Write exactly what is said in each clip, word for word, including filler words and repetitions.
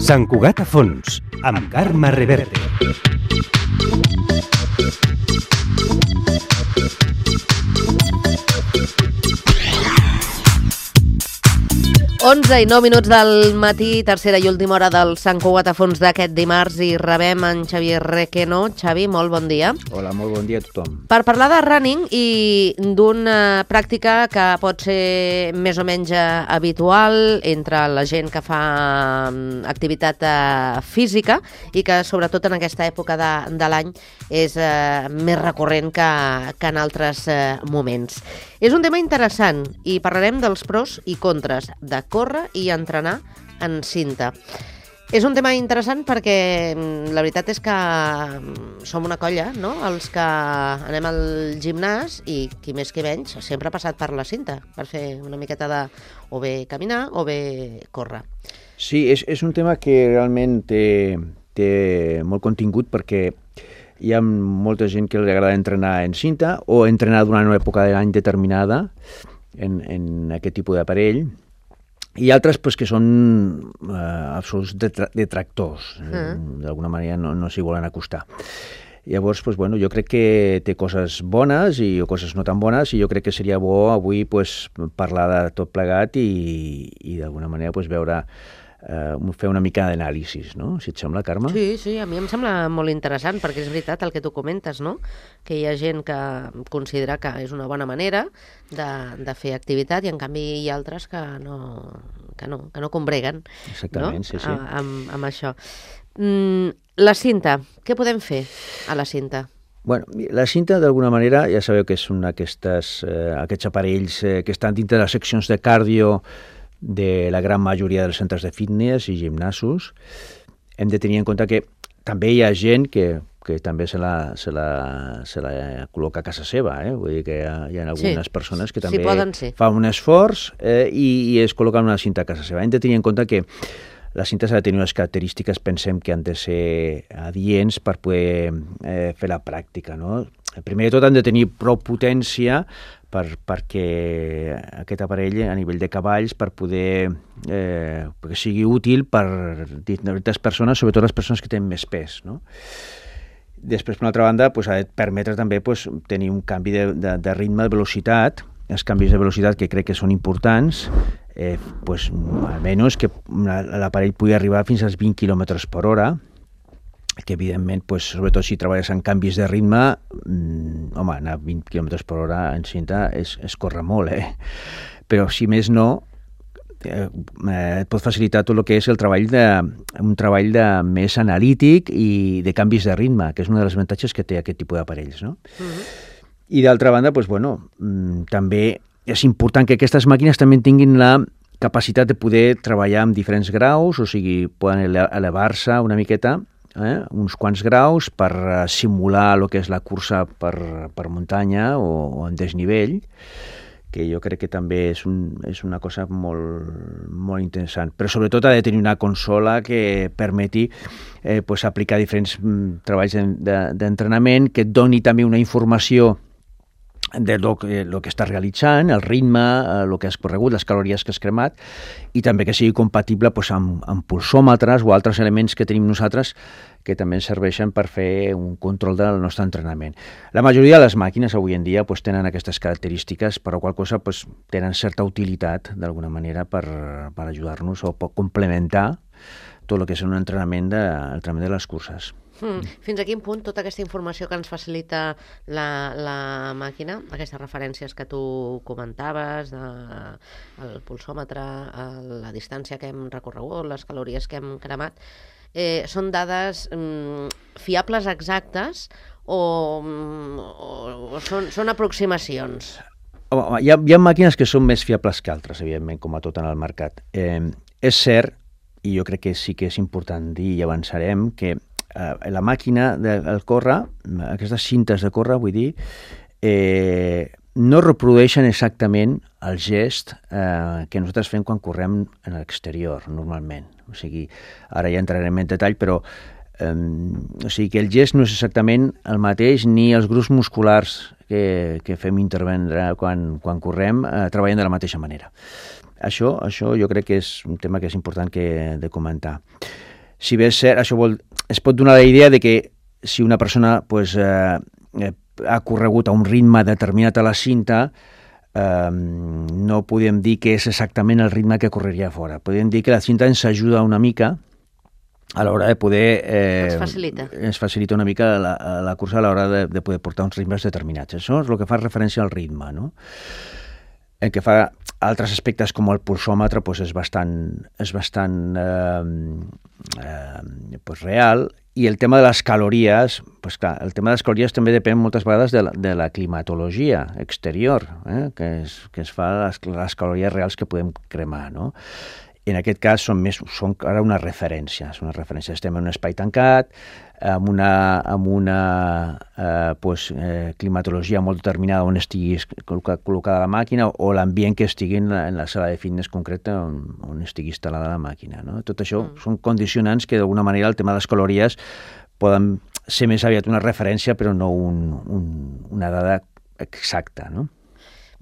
Sant Cugat a fons, amb Carme Reverte. onze i nou minuts del matí, tercera i última hora del Sant Cugat a fons d'aquest dimarts, i rebem en Xavier Requeno. Xavi, molt bon dia. Hola, molt bon dia a tothom. Per parlar de running i d'una pràctica que pot ser més o menys habitual entre la gent que fa activitat física i que sobretot en aquesta època de, de l'any és eh, més recurrent que, que en altres eh, moments. És un tema interessant i parlarem dels pros i contres de córrer i entrenar en cinta. És un tema interessant perquè la veritat és que som una colla, no?, els que anem al gimnàs i qui més qui menys sempre ha passat per la cinta per fer una miqueta de o bé caminar o bé córrer. Sí, és, és un tema que realment té, té molt contingut perquè hi ha molta gent que li agrada entrenar en cinta o entrenar durant una època de l'any determinada en, en aquest tipus d'aparell, i altres pues, que són eh, absoluts detractors, mm. d'alguna manera no, no s'hi volen acostar. Llavors, pues, bueno, jo crec que té coses bones i coses no tan bones, i jo crec que seria bo avui pues, parlar de tot plegat i, i d'alguna manera pues, veure Uh, fer una mica d'anàlisi, no? Si et sembla, Carme? Sí, sí, a mi em sembla molt interessant perquè és veritat el que tu comentes, no? Que hi ha gent que considera que és una bona manera de, de fer activitat i en canvi hi ha altres que no, que no, que no combreguen. Exactament, no? sí, sí. A, amb, amb això. Mm, la cinta, què podem fer a la cinta? Bueno, la cinta, d'alguna manera, ja sabeu que és un d'aquests eh, aquests aparells eh, que estan dintre de les seccions de cardio de la gran majoria dels centres de fitness i gimnasos. Hem de tenir en compte que també hi ha gent que, que també se la, se, la, se la col·loca a casa seva, eh? Vull dir que hi ha, hi ha algunes sí, persones que també sí, fan un esforç eh, i, i es col·loquen una cinta a casa seva. Hem de tenir en compte que la cinta s'ha de tenir unes característiques, pensem que han de ser adients per poder eh, fer la pràctica, no? Primer de tot han de tenir prou potència per, perquè aquest aparell a nivell de cavalls per poder eh, perquè sigui útil per diferents persones, sobretot les persones que tenen més pes, no? Després, per una altra banda, pues, ha de permetre també pues, tenir un canvi de, de, de ritme, de velocitat. Els canvis de velocitat que crec que són importants, eh, pues, almenys que l'aparell pugui arribar fins als vint quilòmetres per hora, que evidentment, pues, sobretot si treballes en canvis de ritme, mmm, home, anar a vint quilòmetres per hora en cinta és, és córrer molt, eh? Però si més no, eh, et pot facilitar tot el que és el treball de, un treball de més analític i de canvis de ritme, que és un dels avantatges que té aquest tipus d'aparells, no? Uh-huh. I d'altra banda, pues, bueno, mmm, també és important que aquestes màquines també tinguin la capacitat de poder treballar amb diferents graus, o sigui, poden elevar-se una miqueta, Eh, uns quants graus per uh, simular el que és la cursa per, per muntanya o, o en desnivell, que jo crec que també és, un, és una cosa molt, molt interessant. Però sobretot ha de tenir una consola que permeti eh, pues, aplicar diferents mm, treballs d'entrenament, que et doni també una informació de lo que, lo que estàs realitzant, el ritme, el que has corregut, les calories que has cremat, i també que sigui compatible pues, amb, amb pulsòmetres o altres elements que tenim nosaltres que també ens serveixen per fer un control del nostre entrenament. La majoria de les màquines avui en dia pues, tenen aquestes característiques, per la qual cosa pues, tenen certa utilitat d'alguna manera per, per ajudar-nos o per complementar tot el que és un entrenament de, entrenament de les curses. Mm. Fins a quin punt tota aquesta informació que ens facilita la, la màquina, aquestes referències que tu comentaves, de, el pulsòmetre, la distància que hem recorregut, les calories que hem cremat, eh, són dades mm, fiables exactes o, o, o són, són aproximacions? Home, hi ha, hi ha màquines que són més fiables que altres, evidentment, com a tot en el mercat. Eh, és cert, i jo crec que sí que és important dir, i avançarem, que la màquina del córrer, aquestes cintes de córrer, vull dir, eh, no reprodueixen exactament el gest eh, que nosaltres fem quan correm en l'exterior, normalment. O sigui, ara ja entrarem en detall, però eh, o sigui que el gest no és exactament el mateix, ni els grups musculars que, que fem intervendre quan, quan correm eh, treballen de la mateixa manera. Això, això jo crec que és un tema que és important que, de comentar. si bé és cert, això vol, es pot donar la idea de que si una persona pues, eh, ha corregut a un ritme determinat a la cinta, eh, no podem dir que és exactament el ritme que correria fora. Podem dir que la cinta ens ajuda una mica a l'hora de poder... Eh, ens facilita. Ens facilita una mica la, la cursa a l'hora de, de poder portar uns ritmes determinats. Això és el que fa referència al ritme, no? El que fa altres aspectes com el pulsòmetre pues és bastant, és bastant eh, eh, pues real, i el tema de les calories, pues clar, el tema de les calories també depèn moltes vegades de la, de la climatologia exterior, eh, que, es, que es fa les, les calories reals que podem cremar, no? En aquest cas són, més, són ara una referència, són una referència. Estem en un espai tancat, amb una, amb una eh, pues, eh, climatologia molt determinada on estigui col·locada la màquina o l'ambient que estigui en la, en la sala de fitness concreta on, on estigui instal·lada la màquina. No? Tot això mm. són condicionants que d'alguna manera el tema de les calories poden ser més aviat una referència però no un, un, una dada exacta, no?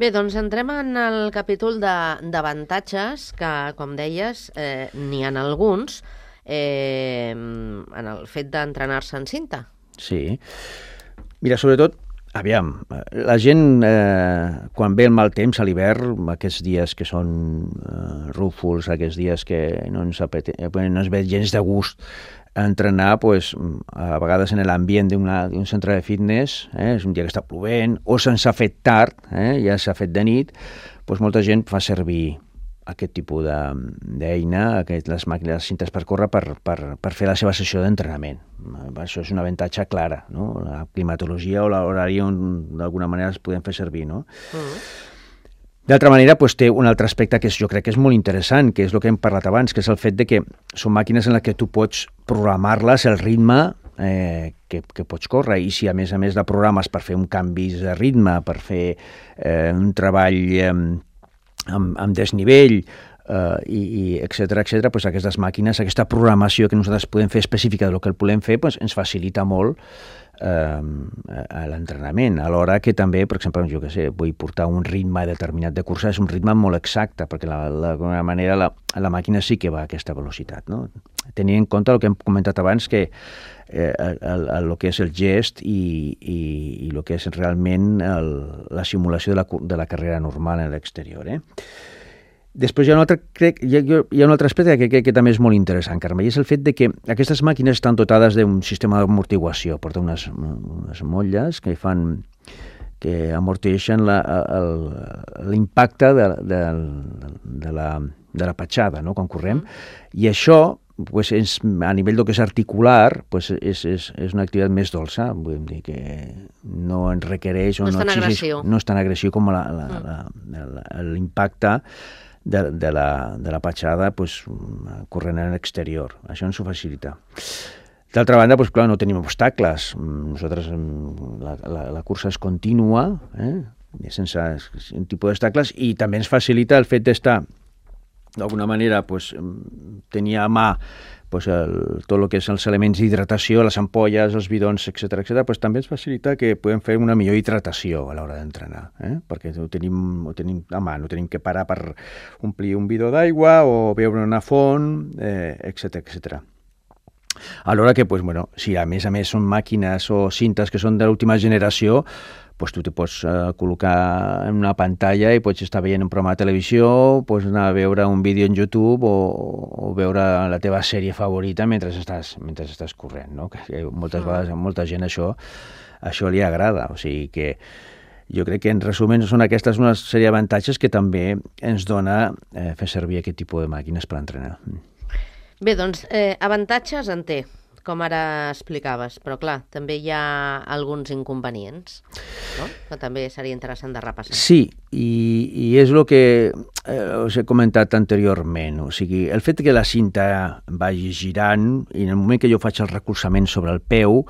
Bé, doncs entrem en el capítol d'avantatges, que, com deies, eh, n'hi ha alguns, eh, en el fet d'entrenar-se en cinta. Sí. Mira, sobretot, aviam, la gent, eh, quan ve el mal temps a l'hivern, aquests dies que són eh, rúfols, aquests dies que no ens, apete, no ens ve gens de gust entrenar, pues, a vegades en l'ambient d'un centre de fitness, eh, és un dia que està plovent, o se'ns ha fet tard, eh, ja s'ha fet de nit, pues molta gent fa servir aquest tipus d'eina, les màquines, les cintes per córrer, per, per, per fer la seva sessió d'entrenament. Això és un avantatge clara, no? La climatologia o l'horari on d'alguna manera es podem fer servir, no? Mm. D'altra manera, pues, té un altre aspecte que és, jo crec que és molt interessant, que és el que hem parlat abans, que és el fet de que són màquines en les que tu pots programar-les el ritme eh, que, que pots córrer, i si a més a més la programes per fer un canvi de ritme, per fer eh, un treball eh, amb, amb desnivell, eh, i, i etcètera, etcètera, pues aquestes màquines, aquesta programació que nosaltres podem fer específica del que el volem fer, pues, ens facilita molt a l'entrenament, alhora que també, per exemple, jo que sé, vull portar un ritme determinat de cursa, és un ritme molt exacte, perquè d'alguna manera la, la màquina sí que va a aquesta velocitat, no? Tenint en compte el que hem comentat abans, que eh, el, el, el que és el gest i, i, i el que és realment el, la simulació de la, de la carrera normal en l'exterior, eh? Després hi ha un altre, crec, hi ha, hi ha un altre aspecte que, que, que també és molt interessant, Carme, i és el fet de que aquestes màquines estan dotades d'un sistema d'amortiguació, porten unes, unes motlles que fan que amorteixen l'impacte de, de, de, la, de la petjada, no?, quan correm, i això pues, és, a nivell del que és articular, pues, és, és, és una activitat més dolça, vull dir que no ens requereix o no, no, no exigeix, no és tan agressiu com l'impacte de, de, la, de la petjada pues, corrent en l'exterior. Això ens ho facilita. D'altra banda, pues, clar, no tenim obstacles. Nosaltres, la, la, la cursa és contínua, eh? sense un tipus d'obstacles, i també ens facilita el fet d'estar d'alguna manera pues, tenir a mà pues, el, tot el que és els elements d'hidratació, les ampolles, els bidons, etcètera, etcètera, pues, també ens facilita que podem fer una millor hidratació a l'hora d'entrenar, eh? perquè ho tenim, ho tenim a mà, no tenim que parar per omplir un bidó d'aigua o beure una font, eh, etcètera, etcètera. Alhora que, pues, bueno, si a més a més són màquines o cintes que són de l'última generació, pues tu te pots uh, col·locar en una pantalla i pots estar veient un programa de televisió, pots anar a veure un vídeo en YouTube o, o veure la teva sèrie favorita mentre estàs, mentre estàs corrent, no? Que moltes vegades a molta gent això, això li agrada, o sigui que jo crec que en resum són aquestes una sèrie d'avantatges que també ens dona eh, fer servir aquest tipus de màquines per entrenar. Bé, doncs, eh, avantatges en té, com ara explicaves, però clar, també hi ha alguns inconvenients, no? Que també seria interessant de repassar. Sí, i, i és el que eh, us he comentat anteriorment, o sigui, el fet que la cinta vagi girant i en el moment que jo faig el recolzament sobre el peu,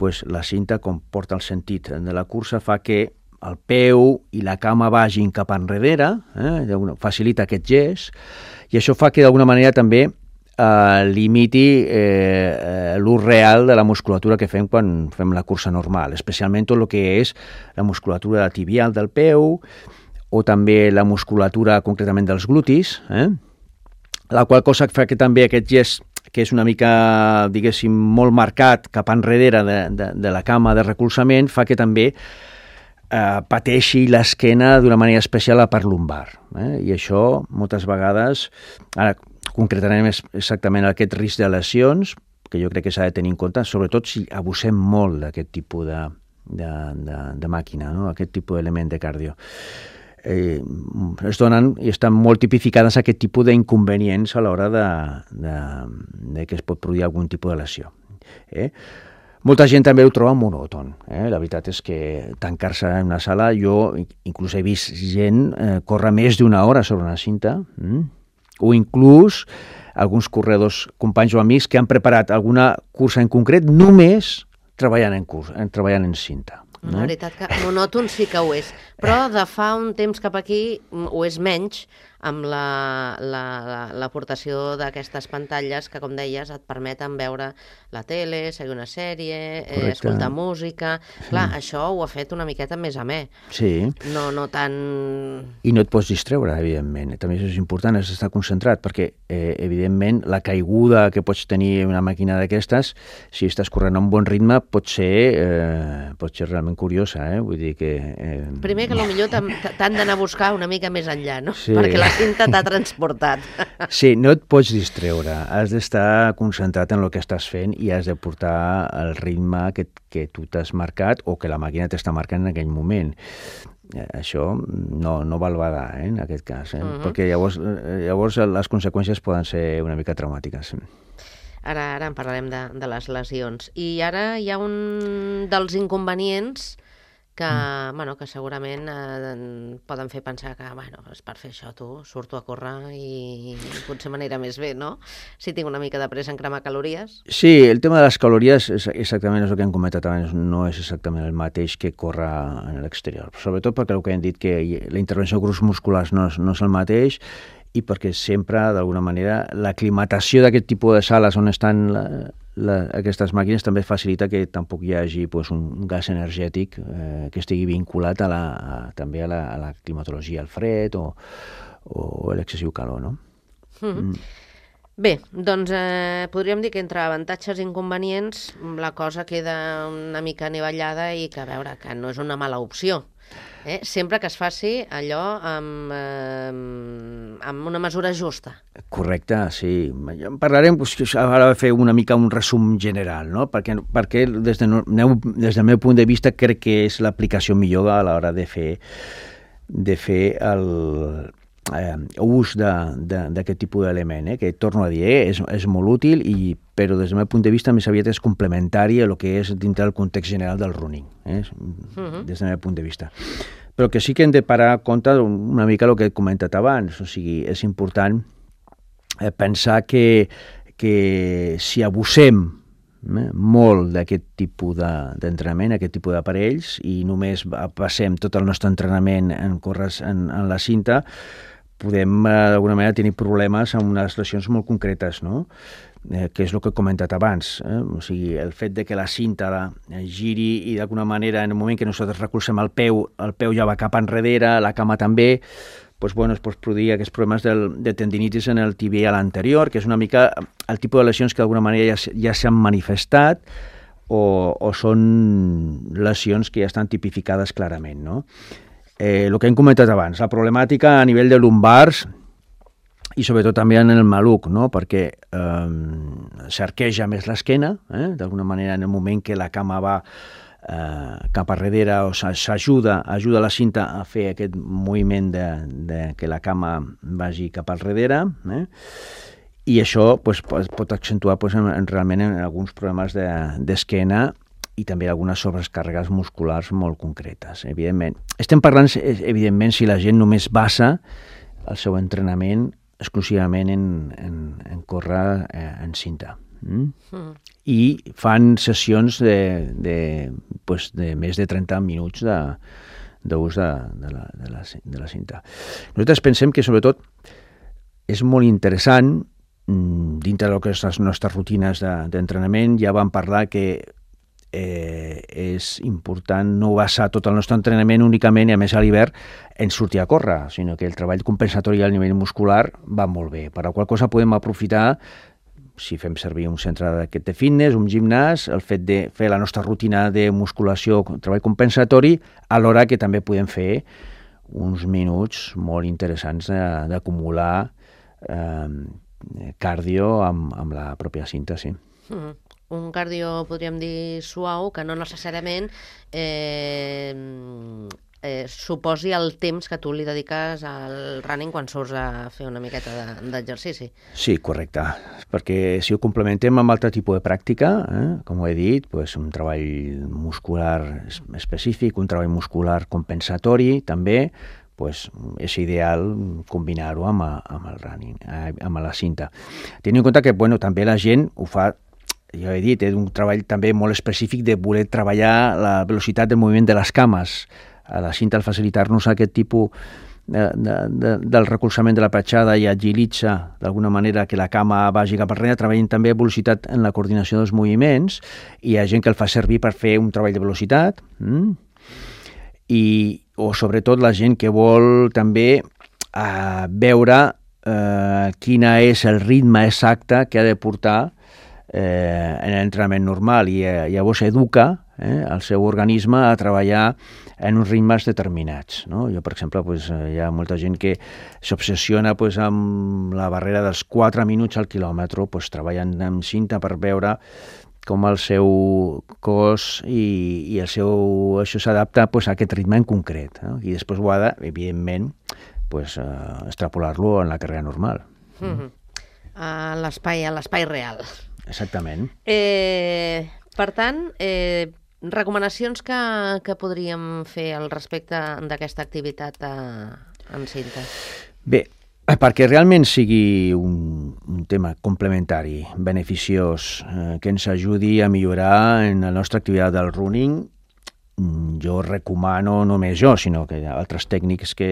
pues, la cinta, com porta el sentit de la cursa, fa que el peu i la cama vagin cap enrere, eh, facilita aquest gest, i això fa que d'alguna manera també Uh, limiti eh, l'ús real de la musculatura que fem quan fem la cursa normal, especialment tot el que és la musculatura tibial del peu o també la musculatura concretament dels glutis, eh? La qual cosa fa que també aquest gest que és una mica, diguéssim, molt marcat cap enrere de, de, de la cama de recolzament, fa que també eh, pateixi l'esquena d'una manera especial a la part lumbar. Eh? I això, moltes vegades, ara concretarem exactament aquest risc de lesions, que jo crec que s'ha de tenir en compte, sobretot si abusem molt d'aquest tipus de, de, de, de màquina, no? Aquest tipus d'element de cardio. Eh, es donen i estan molt tipificades aquest tipus d'inconvenients a l'hora de, de, de que es pot produir algun tipus de lesió. Eh? Molta gent també ho troba monòton. Eh? La veritat és que tancar-se en una sala, jo inclús he vist gent eh, córrer més d'una hora sobre una cinta, mm? o inclús alguns corredors, companys o amics, que han preparat alguna cursa en concret només treballant en, curs, en, treballant en cinta. La no? veritat que monòton sí que ho és, però de fa un temps cap aquí ho és menys amb l'aportació la, la, d'aquestes pantalles que, com deies, et permeten veure la tele, seguir una sèrie, eh, escoltar música. Clar, sí. Això ho ha fet una miqueta més amè. Sí. No, no tan... I no et pots distreure, evidentment. També és important, has d'estar concentrat, perquè, eh, evidentment, la caiguda que pots tenir una màquina d'aquestes, si estàs corrent a un bon ritme, pot ser, eh, pot ser realment curiosa, eh? Vull dir que... Eh... Primer que potser t'han d'anar a buscar una mica més enllà, no? Sí. Perquè la cinta t'ha transportat. Sí, no et pots distreure. Has d'estar concentrat en el que estàs fent i has de portar el ritme que, que tu t'has marcat o que la màquina t'està marcant en aquell moment. Això no, no val badar, eh, en aquest cas, eh? Uh-huh. Perquè llavors, llavors les conseqüències poden ser una mica traumàtiques. Ara, ara en parlarem de, de les lesions. I ara hi ha un dels inconvenients que, mm. bueno, que segurament eh, poden fer pensar que, bueno, és per fer això tu, surto a córrer i potser m'anirà més bé, no? Si tinc una mica de pressa en cremar calories. Sí, el tema de les calories és exactament el que hem comentat abans, no és exactament el mateix que córrer en l'exterior. Sobretot perquè el que hem dit que la intervenció de grups musculars no és, no és el mateix i perquè sempre, d'alguna manera, l'aclimatació d'aquest tipus de sales on estan la, la, aquestes màquines també facilita que tampoc hi hagi pues, un gas energètic eh, que estigui vinculat a la, a, també a la, a la climatologia, al fred o, o l'excessiu calor, no? Mm-hmm. Mm. Bé, doncs eh, podríem dir que entre avantatges i inconvenients la cosa queda una mica anivellada i que, a veure, que no és una mala opció. Eh? Sempre que es faci allò amb, eh, amb una mesura justa. Correcte, sí. Parlarem, doncs, ara de fer una mica un resum general, no? Perquè, perquè des, de, des del meu punt de vista crec que és l'aplicació millor a l'hora de fer, de fer el eh, ús d'aquest tipus d'element, eh? Que torno a dir, eh? és, és molt útil, i, però des del meu punt de vista més aviat és complementari a el que és dintre del context general del running, eh? Uh-huh. Des del meu punt de vista. Però que sí que hem de parar a compte una mica el que he comentat abans, o sigui, és important eh, pensar que, que si abusem eh, molt d'aquest tipus d'entrenament, aquest tipus d'aparells, i només passem tot el nostre entrenament en córrer en, en la cinta, podem d'alguna manera tenir problemes amb unes lesions molt concretes, no? Eh, que és el que he comentat abans. Eh? O sigui, el fet de que la cinta la, giri i d'alguna manera en el moment que nosaltres recolzem el peu, el peu ja va cap enrere, la cama també, doncs, bueno, es pot produir aquests problemes del, de tendinitis en el tibial anterior, que és una mica el tipus de lesions que d'alguna manera ja, ja s'han manifestat o, o són lesions que ja estan tipificades clarament, no? Eh, el que hem comentat abans, la problemàtica a nivell de lumbars i sobretot també en el maluc, no? Perquè eh, s'arqueja més l'esquena, eh? D'alguna manera en el moment que la cama va eh, cap a darrere o s'ajuda ajuda la cinta a fer aquest moviment de, de que la cama vagi cap al darrere, eh? I això pues, pot accentuar pues, en, en, realment en alguns problemes d'esquena de, i també algunes sobrecàrregues musculars molt concretes, evidentment. Estem parlant, evidentment, si la gent només basa el seu entrenament exclusivament en, en, en córrer eh, en cinta. Mm? Mm. I fan sessions de, de, pues, de més de trenta minuts d'ús de, de, de, la, de, la, de la cinta. Nosaltres pensem que, sobretot, és molt interessant, dintre de les nostres rutines d'entrenament, ja vam parlar que Eh, és important no basar tot el nostre entrenament únicament, i a més a l'hivern, en sortir a córrer, sinó que el treball compensatori al nivell muscular va molt bé, per la qual cosa podem aprofitar si fem servir un centre d'aquest de fitness, un gimnàs, el fet de fer la nostra rutina de musculació, treball compensatori, alhora que també podem fer uns minuts molt interessants d'acumular eh, cardio amb, amb la pròpia cinta, sí. Mm. Un cardio, podríem dir, suau, que no necessàriament eh, eh, suposi el temps que tu li dediques al running quan surts a fer una miqueta d'exercici. Sí, correcte, perquè si ho complementem amb altre tipus de pràctica, eh, com ho he dit, pues, un treball muscular específic, un treball muscular compensatori, també, pues, és ideal combinar-ho amb, amb el running, amb la cinta. Tenint en compte que bueno, també la gent ho fa, ja he dit, és un treball també molt específic de voler treballar la velocitat del moviment de les cames. A la cinta, al facilitar-nos aquest tipus de, de, de, del recolzament de la petjada i agilitza d'alguna manera que la cama vagi cap enrere, treballen també velocitat en la coordinació dels moviments, i hi ha gent que el fa servir per fer un treball de velocitat, mm? I, o sobretot la gent que vol també eh, veure eh, quina és el ritme exacte que ha de portar eh, en l'entrenament normal, i eh, llavors educa eh, el seu organisme a treballar en uns ritmes determinats, no? Jo, per exemple, pues, hi ha molta gent que s'obsessiona pues, amb la barrera dels quatre minuts al quilòmetre, pues, treballant amb cinta per veure com el seu cos i, i el seu, això s'adapta pues, a aquest ritme en concret, no? I després ho ha de, evidentment, pues, uh, extrapolar-lo en la carrera normal. Mm-hmm. A l'espai, a l'espai real. Exactament. Eh, per tant, eh, recomanacions que, que podríem fer al respecte d'aquesta activitat a, en cinta? Bé, perquè realment sigui un, un tema complementari, beneficiós, eh, que ens ajudi a millorar en la nostra activitat del running, jo recomano, no només jo, sinó que hi ha altres tècnics que,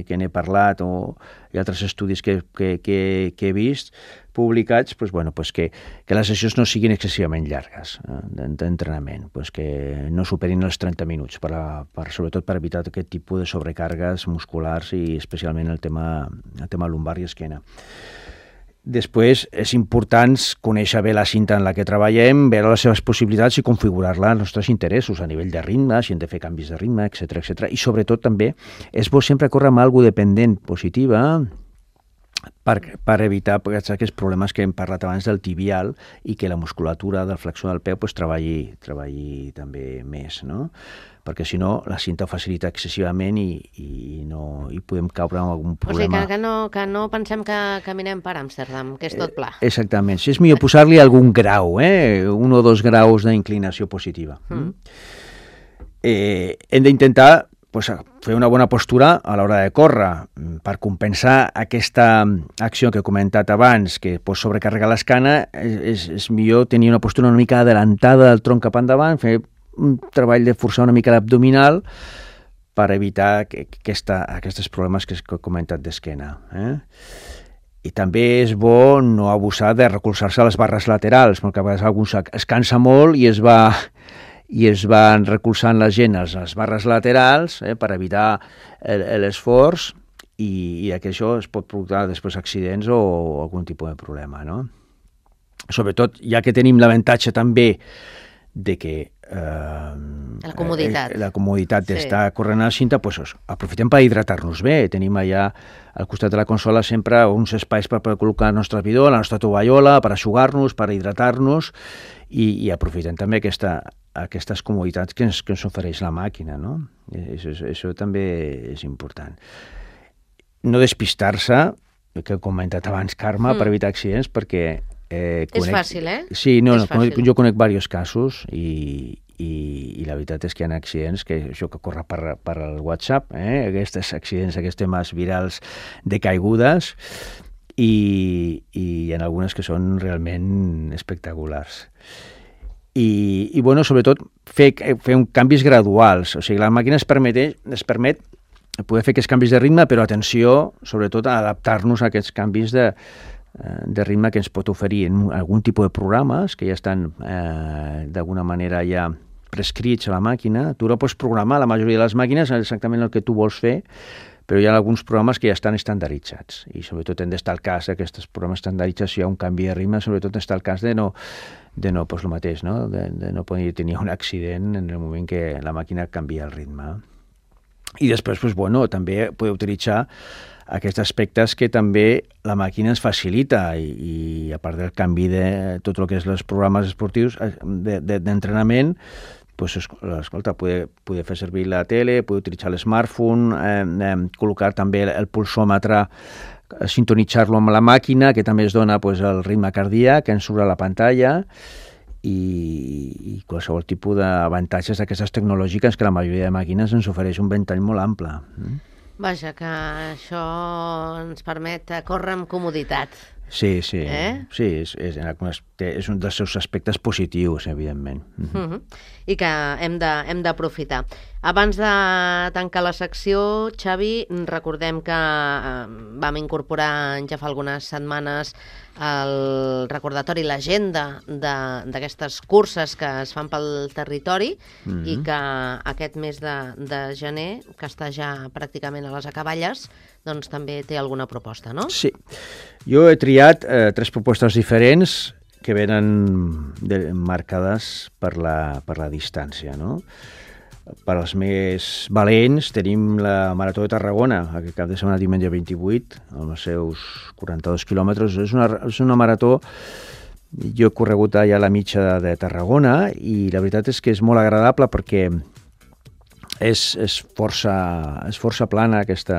que n'he parlat o hi ha altres estudis que, que, que, que he vist publicats, pues, bueno, pues que, que les sessions no siguin excessivament llargues eh, d'entrenament, pues que no superin els trenta minuts, per a, per, sobretot per evitar aquest tipus de sobrecàrregues musculars i especialment el tema, el tema lumbar i esquena. Després és important conèixer bé la cinta en la que treballem, veure les seves possibilitats i configurar-la als nostres interessos a nivell de ritme, si hem de fer canvis de ritme, etcètera, etcètera. I sobretot també és bo sempre córrer amb alguna dependent positiva per, per evitar aquests problemes que hem parlat abans del tibial i que la musculatura del flexor del peu pues, treballi, treballi també més, no? Perquè si no la cinta ho facilita excessivament i, i, no, i podem caure en algun problema. O sigui, que, que, no, que no pensem que caminem per Amsterdam, que és tot pla. Eh, exactament. Si és millor posar-li algun grau, eh? un o dos graus d'inclinació positiva. Mm. Eh, hem d'intentar pues, fer una bona postura a l'hora de córrer per compensar aquesta acció que he comentat abans, que pot sobrecarregar l'escana. És, és millor tenir una postura una mica adelantada del tronc cap endavant, fer un treball de forçar una mica l'abdominal per evitar que, que aquesta, aquests problemes que he comentat d'esquena. Eh? I també és bo no abusar de recolzar-se a les barres laterals, perquè a vegades algú es cansa molt i es va, i es van recolzant la gent a les barres laterals eh, per evitar l'esforç i, i que això es pot provocar després accidents o, o algun tipus de problema, no? Sobretot, ja que tenim l'avantatge també de que eh, la comoditat, eh, la comoditat d'estar sí. corrent a la cinta, pues, aprofitem per hidratar-nos bé. Tenim allà al costat de la consola sempre uns espais per, per col·locar el nostre bidó, la nostra tovallola, per aixugar-nos, per hidratar-nos i, i aprofitem també aquesta, aquestes comoditats que ens, que ens ofereix la màquina, no? Això, això també és important. No despistar-se, que he comentat abans, Carme, mm. per evitar accidents, perquè Eh, conec... És fàcil, eh? Sí, no, és no conec, jo conec diversos casos i, i, i la veritat és que hi ha accidents que això que corre per, per el WhatsApp, eh? Aquests accidents, aquests temes virals de caigudes i, i hi ha algunes que són realment espectaculars. I, i bueno, sobretot fer, fer un canvis graduals, o sigui, la màquina es permet, es permet poder fer aquests canvis de ritme, però atenció, sobretot a adaptar-nos a aquests canvis de de ritme que ens pot oferir en algun tipus de programes que ja estan eh, d'alguna manera ja prescrits a la màquina. Tu la pots programar, la majoria de les màquines, exactament el que tu vols fer, però hi ha alguns programes que ja estan estandarditzats i sobretot hem d'estar al cas d'aquests programes estandarditzats, si hi ha un canvi de ritme, sobretot està al cas de no, de no pues, el mateix, no? De, de no poder tenir un accident en el moment que la màquina canvia el ritme. I després, pues, bueno, també podeu utilitzar aquests aspectes que també la màquina ens facilita i, i a part del canvi de tot el que és els programes esportius d'entrenament, de, de, pues, escolta, poder, poder fer servir la tele, poder utilitzar l'smartphone, eh, eh, col·locar també el, el pulsòmetre, sintonitzar-lo amb la màquina, que també es dona pues, el ritme cardíac, que ens surt a la pantalla, i, i qualsevol tipus d'avantatges d'aquestes tecnològiques que la majoria de màquines ens ofereix un ventall molt ample. Vaja, que això ens permet córrer amb comoditat. Sí, sí, eh? sí és, és, és un dels seus aspectes positius, evidentment. Uh -huh. I que hem de, hem d'aprofitar. Abans de tancar la secció, Xavi, recordem que eh, vam incorporar ja fa algunes setmanes el recordatori, l'agenda d'aquestes curses que es fan pel territori uh -huh. i que aquest mes de, de gener, que està ja pràcticament a les acaballes, doncs també té alguna proposta, no? Sí. Jo he triat eh, tres propostes diferents que venen de, marcades per la, per la distància, no? Per als més valents tenim la Marató de Tarragona, aquest cap de setmana diumenge vint-i-vuit, amb els seus quaranta-dos quilòmetres. És una, és una marató, jo he corregut ja la mitja de, de Tarragona i la veritat és que és molt agradable perquè és, és, força, és força plana aquesta,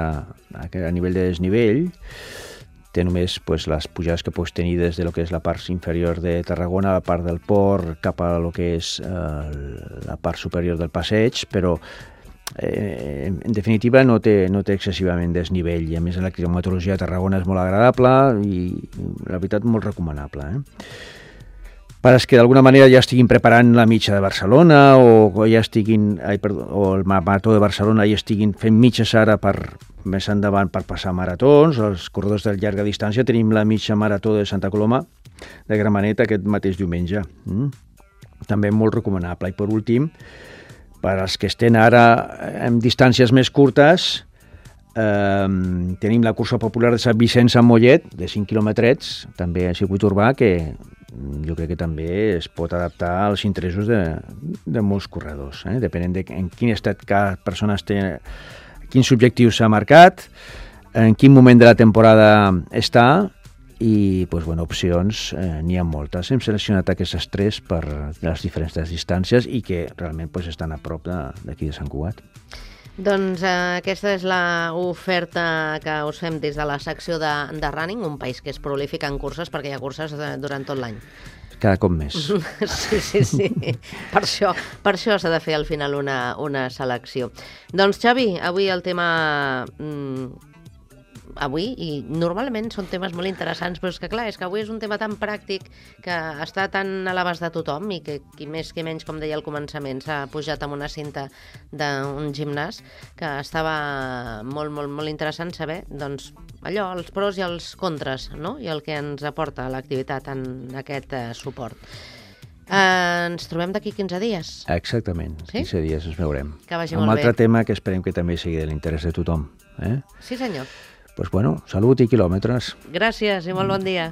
a nivell de desnivell. Té només pues, les pujades que pots tenir des de lo que és la part inferior de Tarragona, la part del port, cap a lo que és eh, la part superior del passeig, però eh, en definitiva no té, no té excessivament desnivell i a més la climatologia de Tarragona és molt agradable i la veritat molt recomanable. Eh? Per als que d'alguna manera ja estiguin preparant la mitja de Barcelona o ja estiguin, ai, perdó, o el Marató de Barcelona i estiguin fent mitges ara per més endavant per passar maratons, els corredors de llarga distància tenim la mitja marató de Santa Coloma de Gramenet aquest mateix diumenge. Mm? També molt recomanable. I per últim, per als que estan ara en distàncies més curtes, eh, tenim la cursa popular de Sant Vicenç a Mollet, de cinc quilòmetres, també a circuit urbà, que jo crec que també es pot adaptar als interessos de, de molts corredors, eh? Depenent de en quin estat cada persona té, quins objectius s'ha marcat, en quin moment de la temporada està i pues, bueno, opcions eh, n'hi ha moltes. Hem seleccionat aquestes tres per les diferents distàncies i que realment pues, estan a prop d'aquí de, de Sant Cugat. Doncs eh, aquesta és l'oferta que us fem des de la secció de, de Running, un país que és prolífic en curses perquè hi ha curses de, durant tot l'any. Cada cop més. Sí, sí, sí. Per això, per això s'ha de fer al final una, una selecció. Doncs Xavi, avui el tema... Mm, avui, i normalment són temes molt interessants, però és que clar, és que avui és un tema tan pràctic que està tan a l'abast de tothom i que qui més qui menys, com deia al començament, s'ha pujat amb una cinta d'un gimnàs, que estava molt, molt, molt interessant saber, doncs, allò, els pros i els contres, no? I el que ens aporta l'activitat en aquest eh, suport. Eh, ens trobem d'aquí quinze dies. Exactament, sí? quinze dies ens veurem. Que vagi un molt bé. Un altre tema que esperem que també sigui de l'interès de tothom. Eh? Sí, senyor. Pues bueno, salut i quilòmetres. Gràcies i molt bon dia.